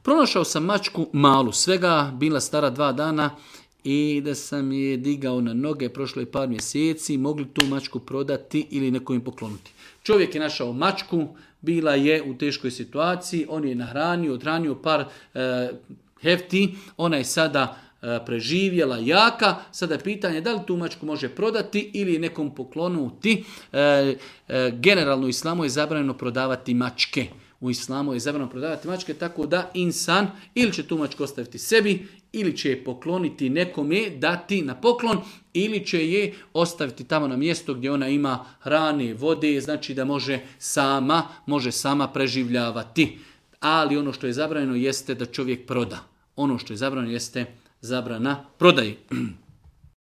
Pronašao sam mačku malu, svega bila stara 2 dana i da sam je digao na noge, prošlo je par mjeseci, mogli tu mačku prodati ili nekom im pokloniti. Čovjek je našao mačku, bila je u teškoj situaciji, on je nahranio, odhranio par hefti, ona je sada preživjela jaka, sada je pitanje da li tu mačku može prodati ili nekom poklonuti. Generalno u islamu je zabranjeno prodavati mačke. U islamu je zabranjeno prodavati mačke, tako da insan ili će tu mačku ostaviti sebi, ili će je pokloniti nekome, dati na poklon, ili će je ostaviti tamo na mjesto gdje ona ima hrane, vode, znači da može sama preživljavati. Ali ono što je zabranjeno jeste da čovjek proda. Ono što je zabranjeno jeste zabrana prodaje.